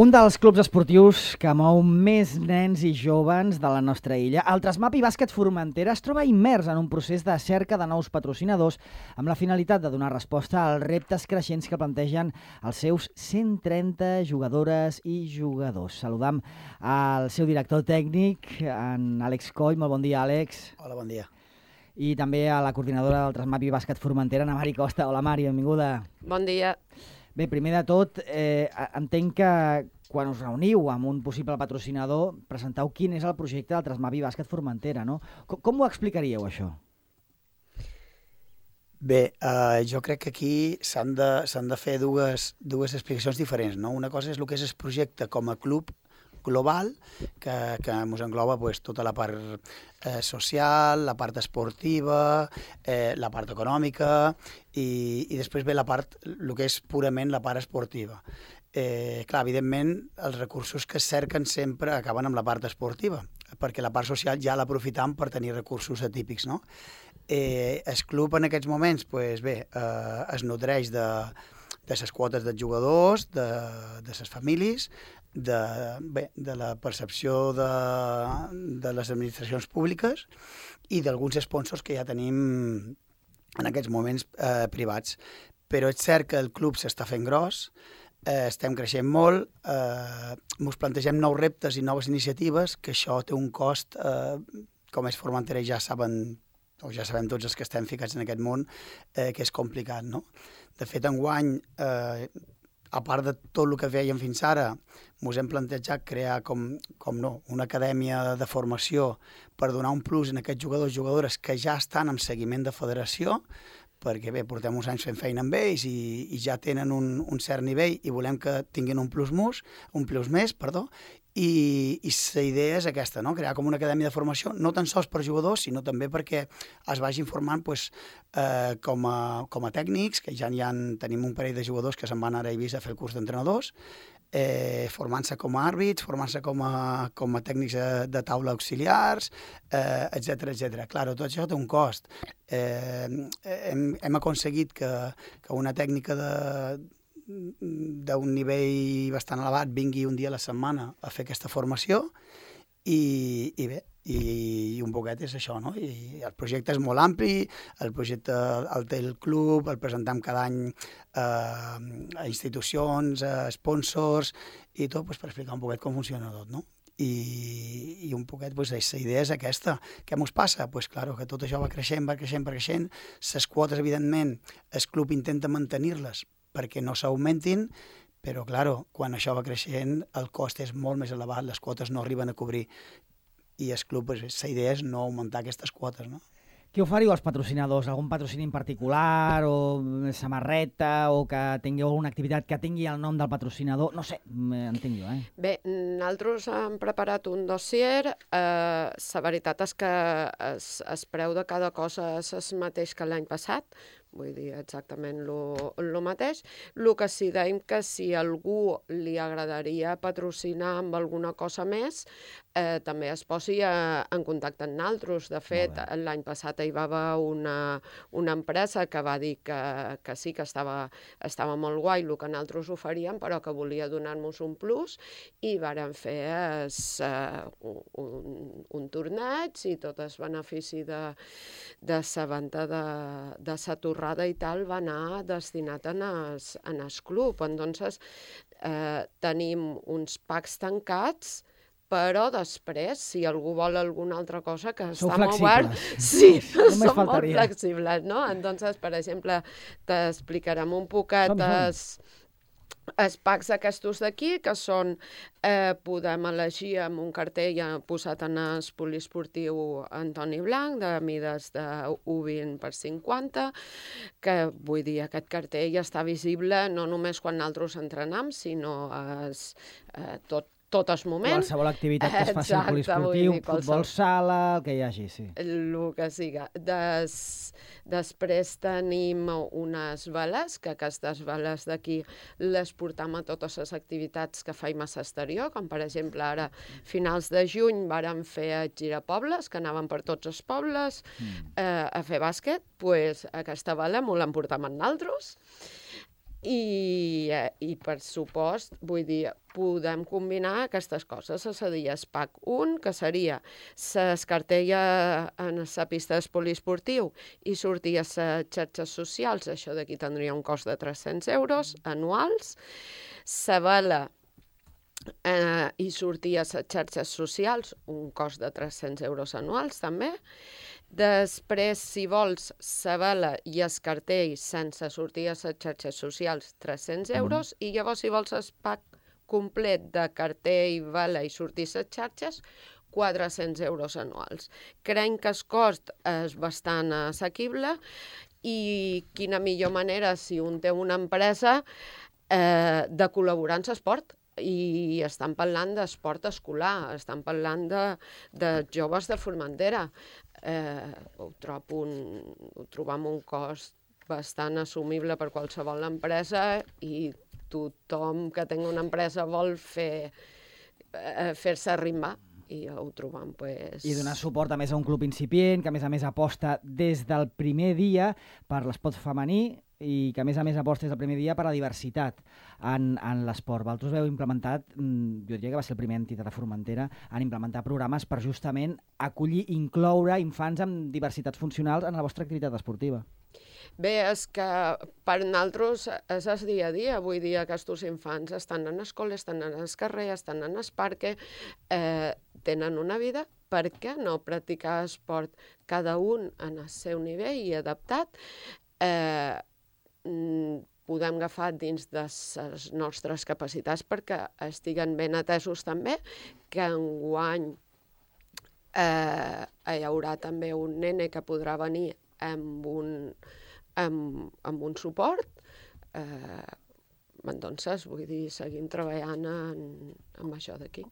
Un dels clubs esportius que mou més nens i joves de la nostra illa, el Trasmapi Bàsquet Formentera, es troba immers en un procés de cerca de nous patrocinadors amb la finalitat de donar resposta als reptes creixents que plantegen els seus 130 jugadores i jugadors. Saludam al seu director tècnic, en Àlex Coll. Molt bon dia, Àlex. Hola, bon dia. I també a la coordinadora del Trasmapi Bàsquet Formentera, Ana Mari Costa. Hola, Mari, benvinguda. Bon dia. Bé, primer de tot, entenc que quan us reuniu amb un possible patrocinador, presenteu quin és el projecte del Trasmapi Bàsquet Formentera, no? Com ho explicaríeu, això? Bé, jo crec que aquí s'han de fer dues explicacions diferents, no? Una cosa és el que és el projecte com a club global, que ens engloba tota la part social, la part esportiva, la part econòmica i després ve la part, el que és purament la part esportiva. Clar, evidentment, els recursos que es cerquen sempre acaben amb la part esportiva, perquè la part social ja l'aprofitam per tenir recursos atípics, no? El club en aquests moments, bé, es nodreix de les quotes dels jugadors, de les famílies, de la percepció de les administracions públiques i d'alguns sponsors que ja tenim en aquests moments privats. Però és cert que el club s'està fent gros, estem creixent molt, ens plantegem nous reptes i noves iniciatives, que això té un cost, com és Formentera ja saben, o ja sabem tots els que estem ficats en aquest món, que és complicat, no? De fet, enguany, a part de tot el que fèiem fins ara, ens hem plantejat crear una acadèmia de formació per donar un plus en aquests jugadors i jugadores que ja estan en seguiment de federació, perquè bé, portem uns anys fent feina amb ells i ja tenen un cert nivell i volem que tinguin un plus més, i la idea és aquesta, no? Crear com una acadèmia de formació, no tan sols per jugadors, sinó també perquè es vagin formant com a tècnics, que ja tenim un parell de jugadors que se'n van ara a Eivissa a fer el curs d'entrenadors, formant-se com a àrbits, formant-se com a tècnics de taula auxiliars, etc. Clar, tot això té un cost. Hem aconseguit que una tècnica d'un nivell bastant elevat vingui un dia a la setmana a fer aquesta formació i bé, i un poquet és això, no? I el projecte és molt ampli, el projecte el té el club, el presentem cada any a institucions, a sponsors i tot per explicar un poquet com funciona tot, no? I un poquet, la idea és aquesta. Què ens passa? Claro, que tot això va creixent. Les quotes, evidentment, el club intenta mantenir-les perquè no s'augmentin, però, claro, quan això va creixent, el cost és molt més elevat, les quotes no arriben a cobrir. I el club, la idea és no augmentar aquestes quotes, no? Què oferiu als patrocinadors? Algun patrocini en particular, o samarreta, o que tingueu alguna activitat que tingui el nom del patrocinador? No sé, entenc jo, Bé, nosaltres hem preparat un dossier. La veritat és que el preu de cada cosa és el mateix que l'any passat, vull dir, exactament el mateix. El que sí deim que si a algú li agradaria patrocinar amb alguna cosa més, també es posi en contacte amb nosaltres. De fet, l'any passat hi va haver una empresa que va dir que sí, que estava molt guai el que nosaltres oferíem, però que volia donar-nos un plus, i vàrem fer un torneig, i tot el benefici de la venda de la torrada i tal va anar destinat en el club. Entonces, tenim uns packs tancats, però després, si algú vol alguna altra cosa, que està molt obert, sí, som molt flexibles, no? Entonces, per exemple, t'explicarem un poquet els packs aquests d'aquí, que són, podem elegir amb un cartell posat en el poliesportiu Antoni Blanc, de mides de 1,20 per 50, que vull dir, aquest cartell està visible no només quan nosaltres entrenem, sinó tot el moment. Qualsevol activitat que es faci al poliesportiu, futbol sala, el que hi hagi, sí. El que siga. Després tenim unes veles, que aquestes veles d'aquí les portam a totes les activitats que faim a l'exterior, com per exemple ara, finals de juny, vàrem fer girapobles, que anaven per tots els pobles a fer bàsquet, doncs aquesta vela m'ho l'emportam amb nosaltres. I per supost, vull dir, podem combinar aquestes coses. És a dir, es pack 1, que seria s'escartella en la pista d'espoliesportiu i sortir a les xarxes socials, això d'aquí tindria un cost de 300 euros anuals. La vela i sortir a les xarxes socials, un cost de 300 euros anuals també. Després, si vols, la vela i el cartell sense sortir a les xarxes socials, 300 euros, i llavors, si vols el pack complet de cartell, vela i sortir a les xarxes, 400 euros anuals. Creiem que el cost és bastant assequible i quina millor manera, si un té una empresa, de col·laborar en l'esport. I estan parlant d'esport escolar, estan parlant de joves de Formentera. Ho trobam un cost bastant assumible per qualsevol empresa i tothom que tingui una empresa vol fer-se arrimbar. I ho trobam, pues... I donar suport a més a un club incipient, que a més aposta des del primer dia per l'esport femení i que a més aposta des del primer dia per la diversitat en l'esport. Vosaltres heu implementat, jo diria que va ser la primera entitat de Formentera, en implementar programes per justament acollir i incloure infants amb diversitats funcionals en la vostra activitat esportiva. Bé, és que per nosaltres és el dia a dia. Vull dir, aquests infants estan en l'escola, estan en el carrer, estan en el parc, tenen una vida. Per què no practicar esport cada un en el seu nivell i adaptat? Podem agafar dins de les nostres capacitats perquè estiguen ben atesos també, que enguany hi haurà també un nene que podrà venir amb un suport. Entonces, vull dir, seguim treballant en això d'aquí.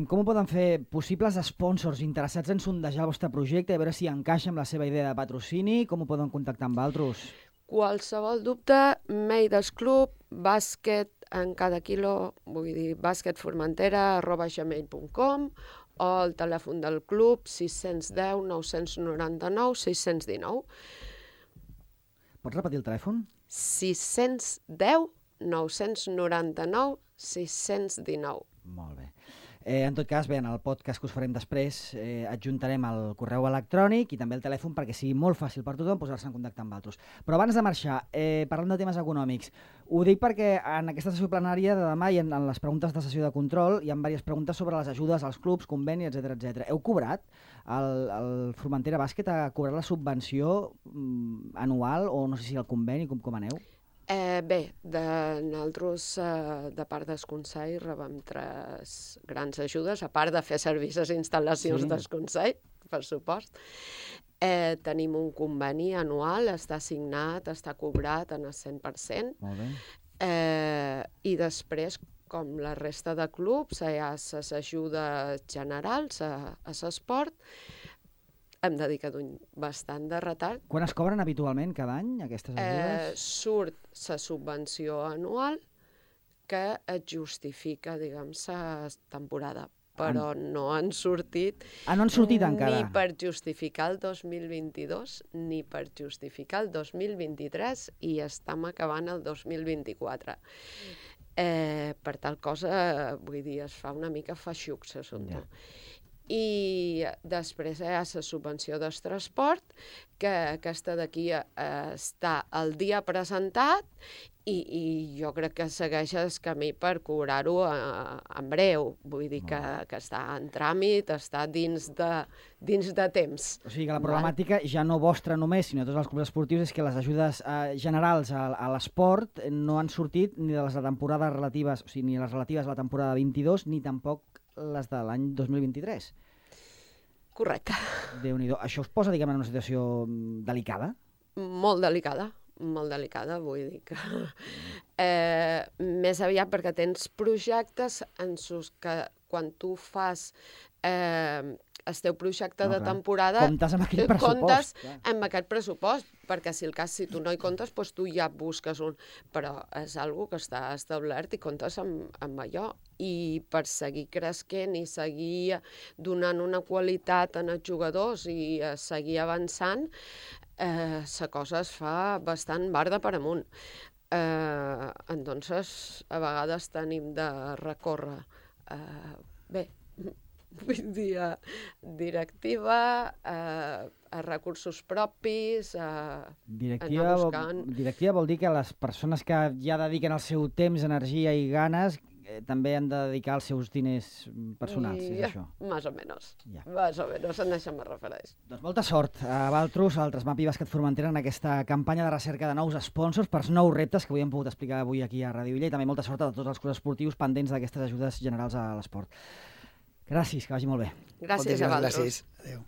Com ho poden fer possibles sponsors interessats en sondejar el vostre projecte, a veure si encaixa amb la seva idea de patrocini? Com ho poden contactar amb altres? Qualsevol dubte, mail del club, bàsquet en cada quilo, vull dir, basquetformentera@gmail.com o el telèfon del club 610 999 619. Pots repetir el telèfon? 610 999 619. Molt bé. En tot cas, bé, en el podcast que us farem després adjuntarem el correu electrònic i també el telèfon perquè sigui molt fàcil per tothom posar-se en contacte amb altres. Però abans de marxar, parlant de temes econòmics, ho dic perquè en aquesta sessió plenària de demà i en les preguntes de sessió de control hi ha diverses preguntes sobre les ajudes als clubs, convenis, etc. Heu cobrat? El Formentera Bàsquet ha cobrat la subvenció anual o no sé si el conveni, com aneu? Bé, nosaltres, de part del Consell, rebem 3 grans ajudes, a part de fer servir les instal·lacions del Consell, per supost. Tenim un conveni anual, està signat, està cobrat en el 100%. Molt bé. I després, com la resta de clubs, hi ha les ajudes generals a l'esport. Hem dedicat bastant de retard. Quan es cobren habitualment cada any aquestes ajudes? Surt la subvenció anual que et justifica, diguem, la temporada. Però no han sortit... No han sortit encara? Ni per justificar el 2022, ni per justificar el 2023, i estem acabant el 2024. Per tal cosa, vull dir, es fa una mica feixuc, l'assumpte. I després hi ha la subvenció del transport, que aquesta d'aquí està el dia presentat i jo crec que segueix el camí per cobrar-ho en breu. Vull dir que està en tràmit, està dins de temps. O sigui que la problemàtica ja no vostra només, sinó de tots els clubs esportius, és que les ajudes generals a l'esport no han sortit ni de les temporades relatives, o sigui, ni les relatives a la temporada 22, ni tampoc les de l'any 2023. Correcte. Déu-n'hi-do. Això us posa, diguem, en una situació delicada? Molt delicada, vull dir que... Més aviat perquè tens projectes en que quan tu fas el teu projecte de temporada... Comptes amb aquell pressupost. Comptes amb aquest pressupost, perquè si tu no hi comptes, doncs tu ja busques un... Però és una que està establert i comptes amb allò. I per seguir creixent i seguir donant una qualitat als jugadors i seguir avançant, la cosa es fa bastant barda per amunt. Entonces, a vegades tenim de recórrer. Bé, vull dir, directiva, a recursos propis, anar buscant... Directiva vol dir que les persones que ja dediquen el seu temps, energia i ganes també han de dedicar els seus diners personals, és això? Més o menys. Més o menys, en això me refereix. Doncs molta sort a Valtros, al Trasmapi Bàsquet Formentera, en aquesta campanya de recerca de nous sponsors per nous reptes que avui hem pogut explicar avui aquí a Ràdio Illa, i també molta sort a tots els clubs esportius pendents d'aquestes ajudes generals a l'esport. Gràcies, que vagi molt bé. Gràcies a Valtros. Gràcies. Adéu.